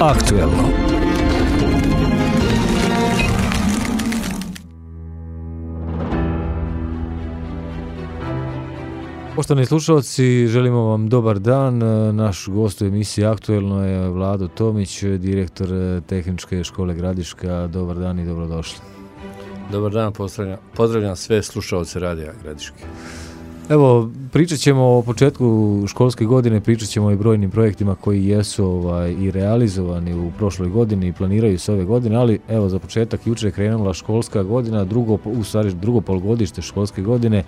Aktuelno. Poštovani slušalci, želimo vam dobar dan. Naš gost u emisiji Aktuelno je Vlado Tomić, direktor Tehničke škole Gradiška. Dobar dan i dobrodošli. Dobar dan, pozdravljam sve slušalce Radija Gradiške. Evo, pričat ćemo o početku školske godine, pričat ćemo i brojnim projektima koji jesu i realizovani u prošloj godini i planiraju se ove godine, ali evo za početak jučer je krenula školska godina, drugo polugodište školske godine.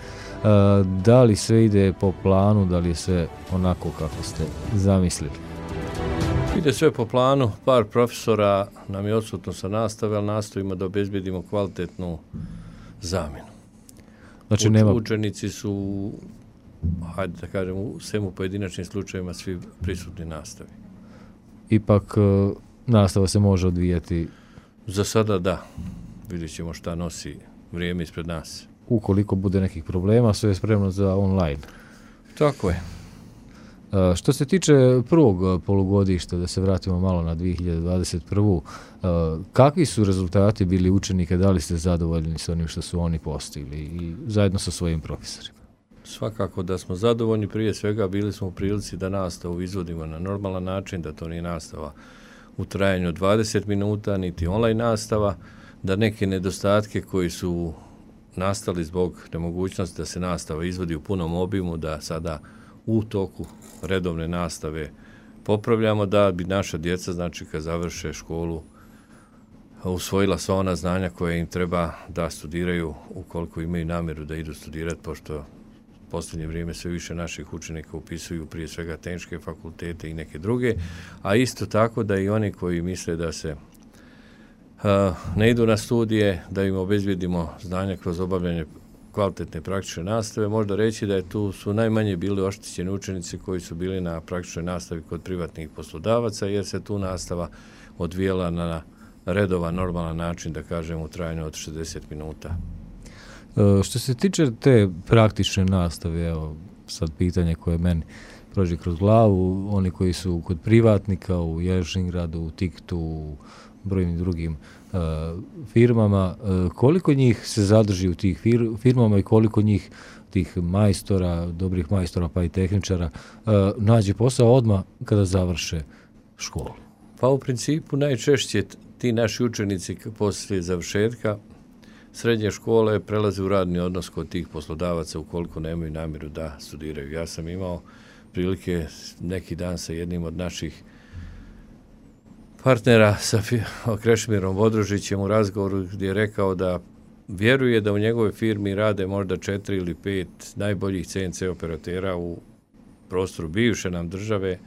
Da li sve ide po planu, da li je sve onako kako ste zamislili? Ide sve po planu, par profesora nam je odsutno sa nastave, ali nastojimo da obezbedimo kvalitetnu zamjenu. Znači, učenici su, hajde da kažem, u svemu pojedinačnim slučajevima svi prisutni nastavi. Ipak nastava se može odvijati? Za sada da. Vidjet ćemo šta nosi vrijeme ispred nas. Ukoliko bude nekih problema, sve je spremno za online. Tako je. Što se tiče prvog polugodišta, da se vratimo malo na 2021. Kakvi su rezultati bili učenika, da li ste zadovoljni s onim što su oni postigli i zajedno sa svojim profesorima? Svakako da smo zadovoljni, prije svega bili smo u prilici da nastavu izvodimo na normalan način, da to nije nastava u trajanju 20 minuta, niti online nastava, da neke nedostatke koji su nastali zbog nemogućnosti da se nastava izvodi u punom obimu, da sada u toku redovne nastave popravljamo, da bi naša djeca, znači kad završe školu, usvojila sva ona znanja koje im treba da studiraju ukoliko imaju namjeru da idu studirati, pošto u posljednje vrijeme sve više naših učenika upisuju prije svega tehničke fakultete i neke druge, a isto tako da i oni koji misle da se ne idu na studije, da im obezbjedimo znanja kroz obavljanje kvalitetne praktične nastave. Možda reći da tu su najmanje bili oštećeni učenici koji su bili na praktičnoj nastavi kod privatnih poslodavaca, jer se tu nastava odvijela na redovan, normalan način, da kažem, u trajanju od 60 minuta. Što se tiče te praktične nastave, evo sad pitanje koje meni prođe kroz glavu, oni koji su kod privatnika u Jelšingradu, u Tiktu, u brojnim drugim firmama, koliko njih se zadrži u tih firmama i koliko njih, tih majstora, dobrih majstora pa i tehničara, nađe posao odmah kada završe školu? Pa u principu najčešće ti naši učenici poslije završetka srednje škole prelaze u radni odnos kod tih poslodavaca ukoliko nemaju namjeru da studiraju. Ja sam imao prilike neki dan sa jednim od naših partnera, sa Krešimirom Vodružićem, u razgovoru gdje je rekao da vjeruje da u njegovoj firmi rade možda 4 ili 5 najboljih CNC operatera u prostoru bivše nam države,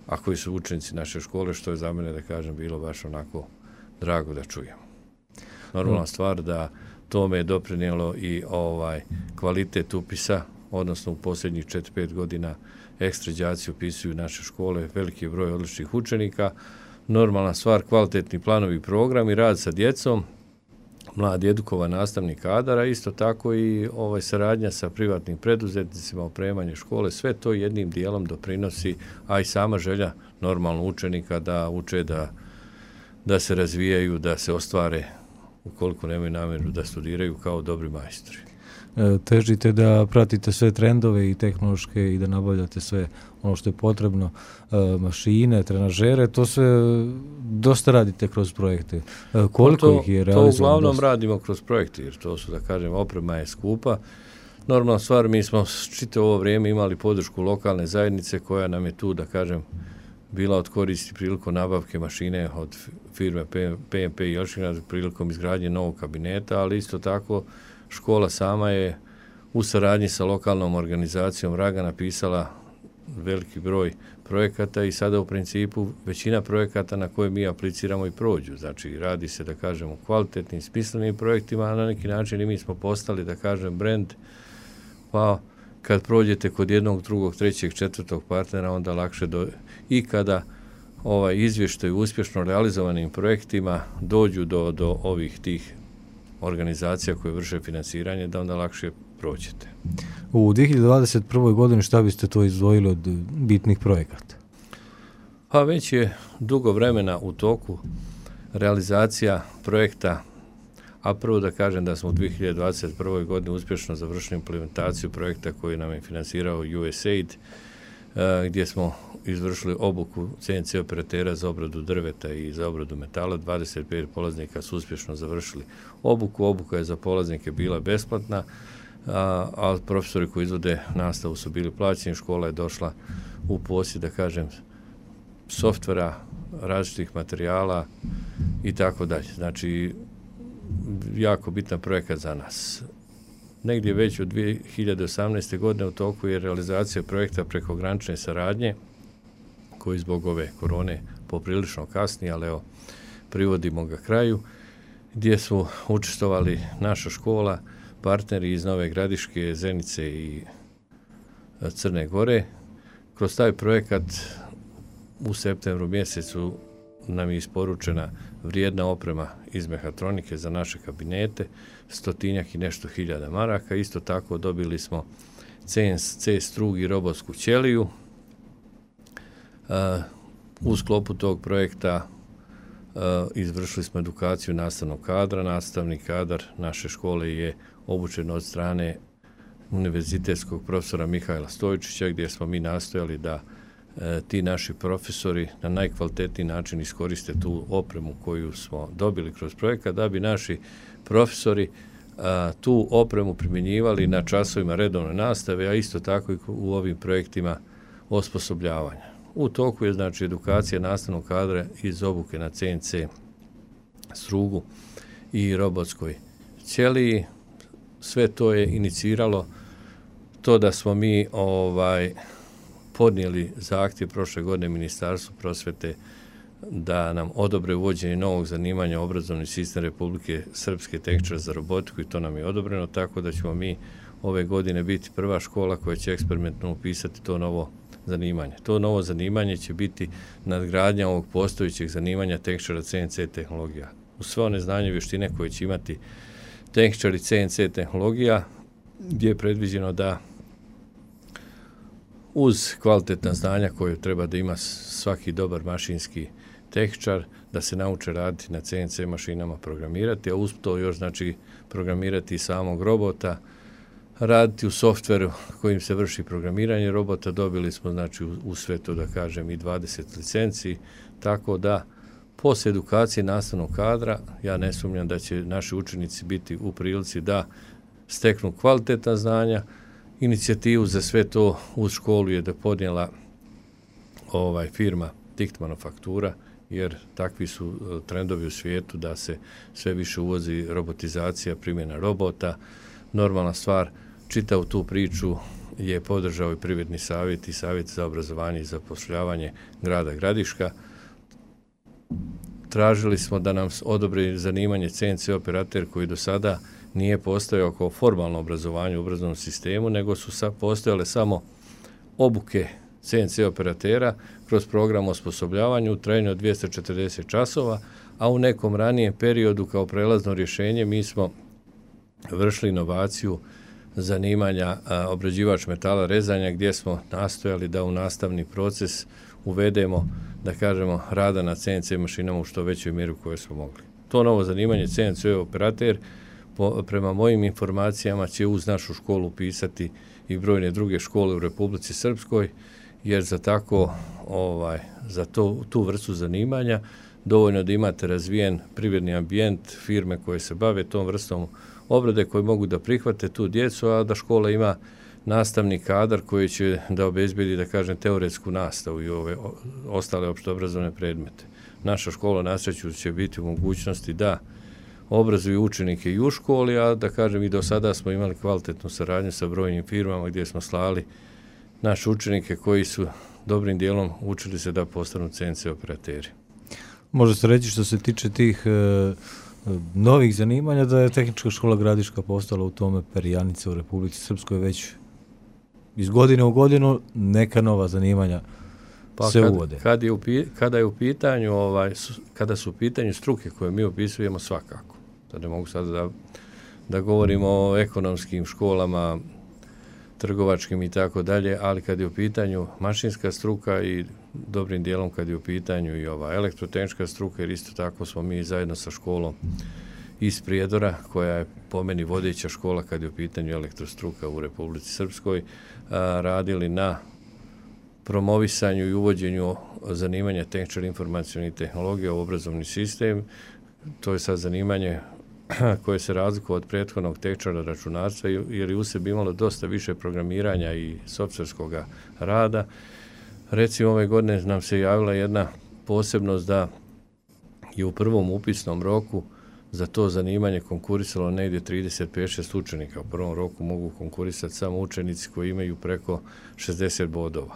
a koji su učenici naše škole, što je za mene, da kažem, bilo baš onako drago da čujem. Normalna stvar da tome je doprinijelo i kvalitet upisa, odnosno u posljednjih 4-5 godina ekstra đaci upisuju naše škole, veliki broj odličnih učenika. Normalna stvar, kvalitetni planovi i programi, rad sa djecom, mladi edukovan nastavni kadar, a isto tako i saradnja sa privatnim preduzetnicima, opremanje škole, sve to jednim dijelom doprinosi, a i sama želja normalno učenika da uče, da se razvijaju, da se ostvare ukoliko nemaju namjeru da studiraju kao dobri majstori. Težite da pratite sve trendove i tehnološke i da nabavljate sve ono što je potrebno, mašine, trenažere, to sve dosta radite kroz projekte. Koliko ih je realizovano? To uglavnom radimo kroz projekte, jer to su, da kažem, oprema je skupa. Normalna stvar, mi smo čitavo ovo vrijeme imali podršku lokalne zajednice koja nam je tu, da kažem, bila od koristi prilikom nabavke mašine od firme PMP i Jelšingrad prilikom izgradnje novog kabineta, ali isto tako škola sama je u saradnji sa lokalnom organizacijom Raga napisala veliki broj projekata i sada u principu većina projekata na koje mi apliciramo i prođu. Znači radi se, da kažem, o kvalitetnim, smislenim projektima, a na neki način i mi smo postali, da kažem, brand, pa kad prođete kod jednog, drugog, trećeg, četvrtog partnera, onda lakše i kada izvještaj uspješno realizovanim projektima dođu do ovih tih organizacija koje vrše financiranje, da onda lakše prođete. U 2021. godini šta biste to izdvojili od bitnih projekata? Pa već je dugo vremena u toku realizacija projekta, a prvo da kažem da smo u 2021. godini uspješno završili implementaciju projekta koji nam je finansirao USAID, gdje smo izvršili obuku CNC operatera za obradu drveta i za obradu metala. 25 polaznika su uspješno završili obuku. Obuka je za polaznike bila besplatna, a profesori koji izvode nastavu su bili plaćeni. Škola je došla u posjed, da kažem, softvera, različitih materijala i tako dalje. Znači, jako bitan projekat za nas. Negdje već od 2018. godine u toku je realizacija projekta prekogranične saradnje, koji zbog ove korone poprilično kasni, ali evo, privodimo ga kraju, gdje su učestvovali naša škola, partneri iz Nove Gradiške, Zenice i Crne Gore. Kroz taj projekat u septembru mjesecu nam je isporučena vrijedna oprema iz mehatronike za naše kabinete, 100 i nešto hiljada maraka. Isto tako dobili smo CNC strug i robotsku ćeliju. U sklopu tog projekta izvršili smo edukaciju nastavnog kadra. Nastavni kadar naše škole je obučen od strane univerzitetskog profesora Mihajla Stojčića, gdje smo mi nastojali da ti naši profesori na najkvalitetniji način iskoriste tu opremu koju smo dobili kroz projekat, da bi naši profesori tu opremu primjenjivali na časovima redovne nastave, a isto tako i u ovim projektima osposobljavanja. U toku je znači edukacija nastavnog kadra iz obuke na CNC strugu i robotskoj ćeliji. Sve to je iniciralo to da smo mi podnijeli zahtjev prošle godine Ministarstvu prosvjete da nam odobre uvođenje novog zanimanja obrazovni sistem Republike Srpske tehničar za robotiku, i to nam je odobreno, tako da ćemo mi ove godine biti prva škola koja će eksperimentno upisati to novo zanimanje. To novo zanimanje će biti nadgradnja ovog postojećeg zanimanja tehničara CNC tehnologija. Uz sve one znanje i vještine koje će imati tehničari CNC tehnologija, gdje je predviđeno da uz kvalitetna znanja koje treba da ima svaki dobar mašinski tehničar, da se nauče raditi na CNC mašinama, programirati, a uz to još znači programirati i samog robota, raditi u softveru kojim se vrši programiranje robota. Dobili smo znači u sve to, da kažem, i 20 licenci, tako da poslije edukacije nastavnog kadra ja ne sumnjam da će naši učenici biti u prilici da steknu kvalitetna znanja. Inicijativu za sve to uz školu je da podnijela firma Tikt Manufaktura, jer takvi su trendovi u svijetu da se sve više uvozi robotizacija, primjena robota. Normalna stvar, čitavu tu priču je podržao i Privredni savjet i Savjet za obrazovanje i zapošljavanje grada Gradiška. Tražili smo da nam odobri zanimanje CNC operater, koji do sada nije postojao kao formalno obrazovanje u obrazovnom sistemu, nego su postojale samo obuke CNC operatera kroz program osposobljavanja u trajanju od 240 časova, a u nekom ranijem periodu kao prelazno rješenje mi smo vršili inovaciju zanimanja obrađivač metala rezanja, gdje smo nastojali da u nastavni proces uvedemo, da kažemo, rada na CNC mašinama u što većoj mjeri koju smo mogli. To novo zanimanje CNC operater, prema mojim informacijama, će uz našu školu upisati i brojne druge škole u Republici Srpskoj, jer za tako za tu vrstu zanimanja dovoljno da imate razvijen privredni ambijent, firme koje se bave tom vrstom obrade, koji mogu da prihvate tu djecu, a da škola ima nastavni kadar koji će da obezbedi, da kažem, teoretsku nastavu i ove ostale opštoobrazovne predmete. Naša škola na sreću će biti u mogućnosti da obrazuju učenike i u školi, a da kažem i do sada smo imali kvalitetnu saradnju sa brojnim firmama gdje smo slali naše učenike koji su dobrim dijelom učili se da postanu CNC operateri. Može se reći, što se tiče tih novih zanimanja, da je Tehnička škola Gradiška postala u tome perjanica u Republici Srpskoj, već iz godine u godinu neka nova zanimanja se uvode. Kada su u pitanju struke koje mi opisujemo, svakako. Da ne mogu sada da govorimo o ekonomskim školama, trgovačkim i tako dalje, ali kad je u pitanju mašinska struka i dobrim dijelom kad je u pitanju i ova elektrotehnička struka, jer isto tako smo mi zajedno sa školom iz Prijedora, koja je po meni vodeća škola kad je u pitanju elektrostruka u Republici Srpskoj, radili na promovisanju i uvođenju zanimanja tehničar informacionih tehnologija u obrazovni sistem. To je sad zanimanje koje se razlikuje od prethodnog tehničara računarstva, jer je u sebi imalo dosta više programiranja i softverskog rada. Recimo, ove godine nam se javila jedna posebnost da je u prvom upisnom roku za to zanimanje konkurisalo negdje 35-6 učenika. U prvom roku mogu konkurisati samo učenici koji imaju preko 60 bodova.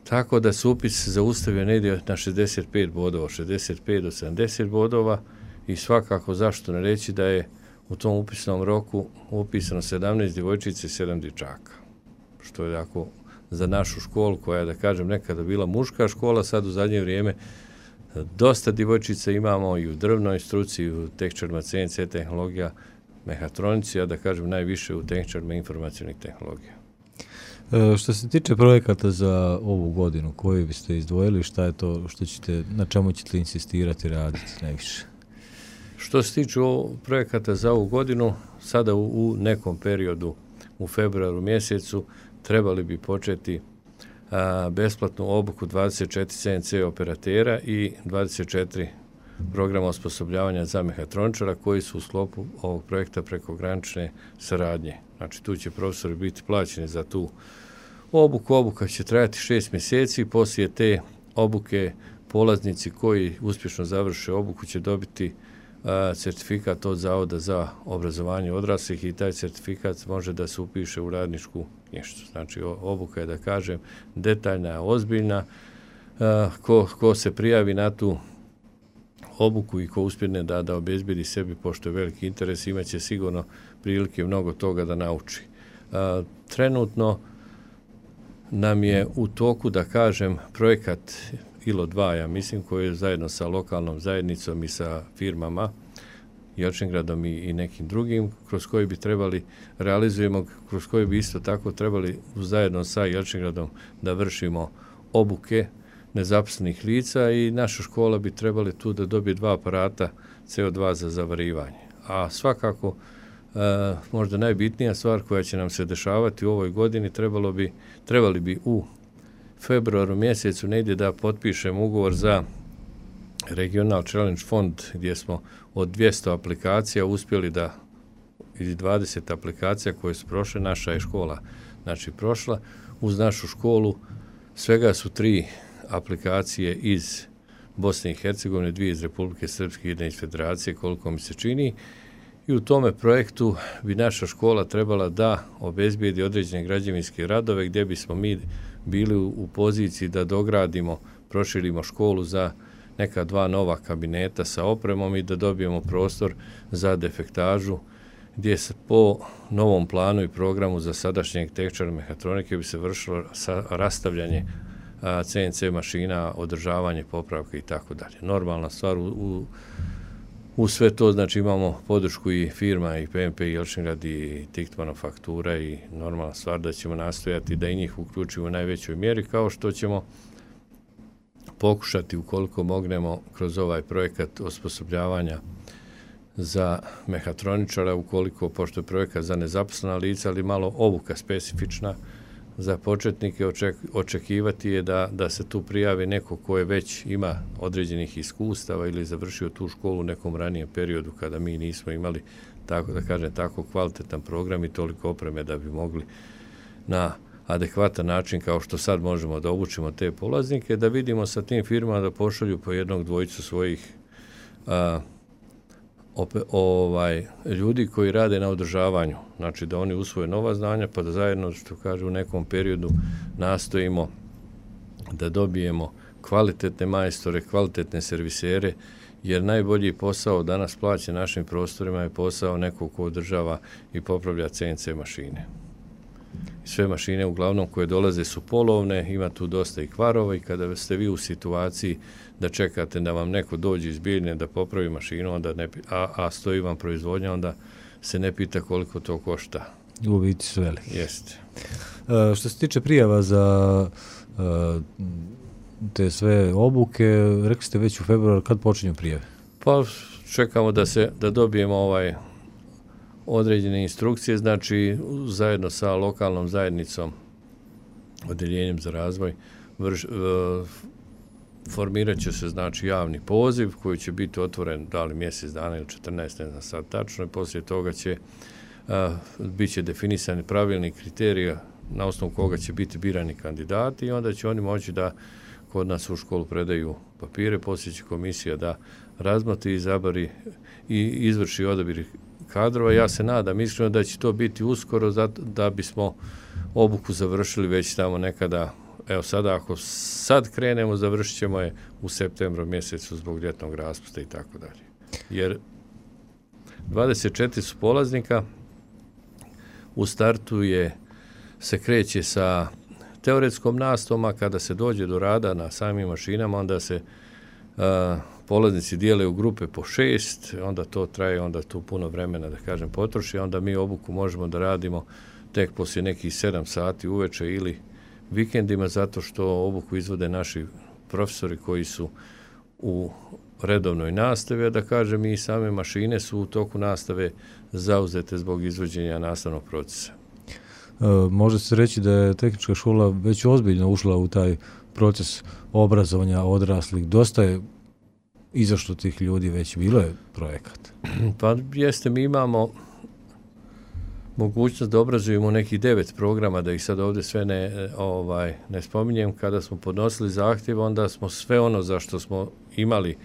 Tako da se upis zaustavio negdje na 65 bodova, 65 do 70 bodova i svakako zašto ne reći da je u tom upisnom roku upisano 17 djevojčica i 7 dječaka. Što je tako za našu školu koja je, da kažem, nekada bila muška škola, sad u zadnje vrijeme dosta djevojčica imamo i u drvnoj struci, i u tehničarima CNC tehnologija, mehatronici, a da kažem najviše u tehničarima informacionih tehnologija. Što se tiče projekata za ovu godinu, koji biste izdvojili, šta je to što ćete, na čemu ćete insistirati raditi najviše? Što se tiče projekata za ovu godinu, sada u nekom periodu, u februaru mjesecu, trebali bi početi besplatnu obuku 24 CNC operatera i 24 programa osposobljavanja za mehatroničara koji su u sklopu ovog projekta prekogranične saradnje. Znači, tu će profesori biti plaćeni za tu obuku. Obuka će trajati 6 mjeseci. Poslije te obuke polaznici koji uspješno završe obuku će dobiti certifikat od Zavoda za obrazovanje odraslih i taj certifikat može da se upiše u radničku knjižicu. Znači, obuka je, da kažem, detaljna, ozbiljna. Ko se prijavi na tu obuku i ko uspjene da obezbedi sebi, pošto je veliki interes, imaće sigurno prilike mnogo toga da nauči. Trenutno nam je u toku, da kažem, projekat ILO 2, ja mislim, koji je zajedno sa lokalnom zajednicom i sa firmama, Jelčingradom i nekim drugim, kroz koji bi trebali realizujemo, kroz koji bi isto tako trebali zajedno sa Jelčingradom da vršimo obuke nezaposlenih lica i naša škola bi trebali tu da dobije 2 aparata CO2 za zavarivanje. A svakako, možda najbitnija stvar koja će nam se dešavati u ovoj godini, trebali bi u februaru mjesecu negdje da potpišemo ugovor za Regional Challenge Fond, gdje smo od 200 aplikacija uspjeli da, ili 20 aplikacija koje su prošle, naša je škola znači prošla. Uz našu školu svega su 3 aplikacije iz Bosne i Hercegovine, 2 iz Republike Srpske i 1 iz Federacije, koliko mi se čini. I u tome projektu bi naša škola trebala da obezbijedi određene građevinske radove gdje bismo mi bili u poziciji da dogradimo, proširimo školu za neka 2 nova kabineta sa opremom i da dobijemo prostor za defektažu gdje se po novom planu i programu za sadašnjeg tehničara mehatronike bi se vršilo rastavljanje CNC mašina, održavanje, popravke i tako dalje. Normalna stvar u sve to, znači imamo podršku i firma i PMP i Jelčingrad i Tikt manufaktura i normalna stvar da ćemo nastojati da i njih uključimo u najvećoj mjeri, kao što ćemo pokušati ukoliko mognemo kroz ovaj projekat osposobljavanja za mehatroničara, ukoliko, pošto je projekat za nezaposlena lica, ali malo obuka specifična za početnike, očekivati je da se tu prijavi neko ko je već ima određenih iskustava ili završio tu školu u nekom ranijem periodu kada mi nismo imali, tako da kažem, tako kvalitetan program i toliko opreme da bi mogli na adekvatan način, kao što sad možemo da obučimo te polaznike, da vidimo sa tim firmama da pošalju po 1-2 svojih ljudi koji rade na održavanju, znači da oni usvoje nova znanja, pa da zajedno, što kažu, u nekom periodu nastojimo da dobijemo kvalitetne majstore, kvalitetne servisere, jer najbolji posao danas plaćen našim prostorima je posao nekog ko održava i popravlja CNC mašine. Sve mašine uglavnom koje dolaze su polovne, ima tu dosta i kvarova i kada ste vi u situaciji da čekate da vam neko dođe iz Bijeljine da popravi mašinu, onda a stoji vam proizvodnja, onda se ne pita koliko to košta. u biti sveli. Jeste. Što se tiče prijava za te sve obuke, rekli ste već u februaru, kad počinju prijave? Pa čekamo da dobijemo određene instrukcije, znači zajedno sa lokalnom zajednicom, odeljenjem za razvoj, formirat će se znači javni poziv koji će biti otvoren da li mjesec dana ili 14, ne znam sad tačno, i poslije toga će bit će definisani pravilni kriterija na osnovu koga će biti birani kandidati i onda će oni moći da kod nas u školu predaju papire, poslije će komisija da razmotri, izabari i izvrši odabir kadrova. Ja se nadam iskreno da će to biti uskoro da bismo obuku završili već tamo nekada. Evo sada, ako sad krenemo, završit ćemo je u septembru mjesecu zbog ljetnog raspusta i tako dalje. Jer 24 su polaznika, u startu se kreće sa teoretskom nastavom, a kada se dođe do rada na samim mašinama, onda se polaznici dijele u grupe po 6, onda to traje, onda tu puno vremena, da kažem, potroši, onda mi obuku možemo da radimo tek poslije nekih 7 sati uveče ili vikendima, zato što obuku izvode naši profesori koji su u redovnoj nastavi, a da kažem i same mašine su u toku nastave zauzete zbog izvođenja nastavnog procesa. Može se reći da je tehnička škola već ozbiljno ušla u taj proces obrazovanja odraslih. Dosta je izašlo tih ljudi, već bilo je projekat. Pa jeste, mi imamo mogućnost da obrazujemo nekih 9 programa, da ih sad ovdje sve ne spominjem. Kada smo podnosili zahtjev, onda smo sve ono za što smo imali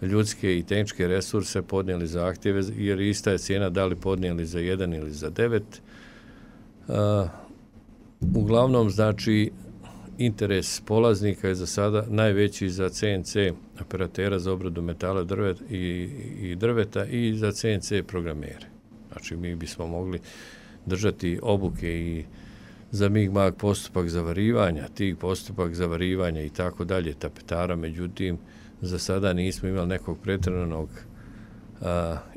ljudske i tehničke resurse podnijeli zahtjeve, jer ista je cijena da li podnijeli za 1 ili za 9. Uglavnom, znači, interes polaznika je za sada najveći za CNC operatera za obradu metala i drveta i za CNC programere. Znači, mi bismo mogli držati obuke i za MIG-MAG postupak zavarivanja, TIG postupak zavarivanja i tako dalje, tapetara, međutim, za sada nismo imali nekog pretjeranog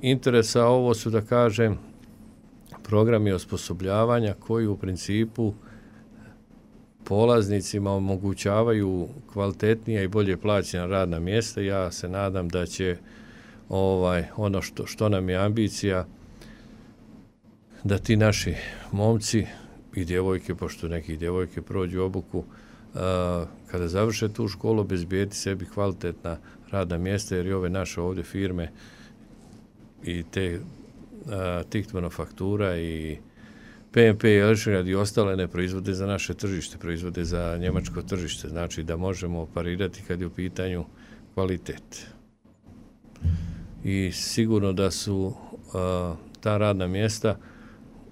interesa. Ovo su, da kažem, programi osposobljavanja koji u principu polaznicima omogućavaju kvalitetnija i bolje plaćena radna mjesta. Ja se nadam da će ono što nam je ambicija, da ti naši momci i djevojke, pošto neki djevojke prođu obuku, kada završe tu školu, obezbijeti sebi kvalitetna radna mjesta, jer i ove naše ovdje firme i te TICT manufaktura i PMP i Elšingrad i ostale ne proizvode za naše tržište, proizvode za njemačko tržište, znači da možemo parirati kad je u pitanju kvalitet. I sigurno da su ta radna mjesta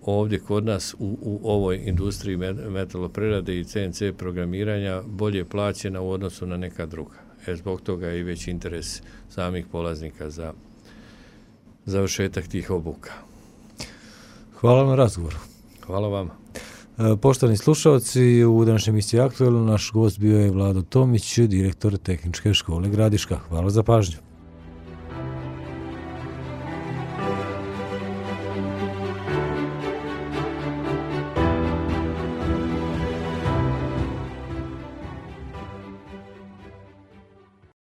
ovdje kod nas u ovoj industriji metaloprerade i CNC programiranja bolje plaćena u odnosu na neka druga. Zbog toga je i već interes samih polaznika za završetak tih obuka. Hvala na razgovoru. Hvala vam. Poštovani slušalci, u današnjem emisiji Aktualno naš gost bio je Vlado Tomić, direktor Tehničke škole Gradiška. Hvala za pažnju.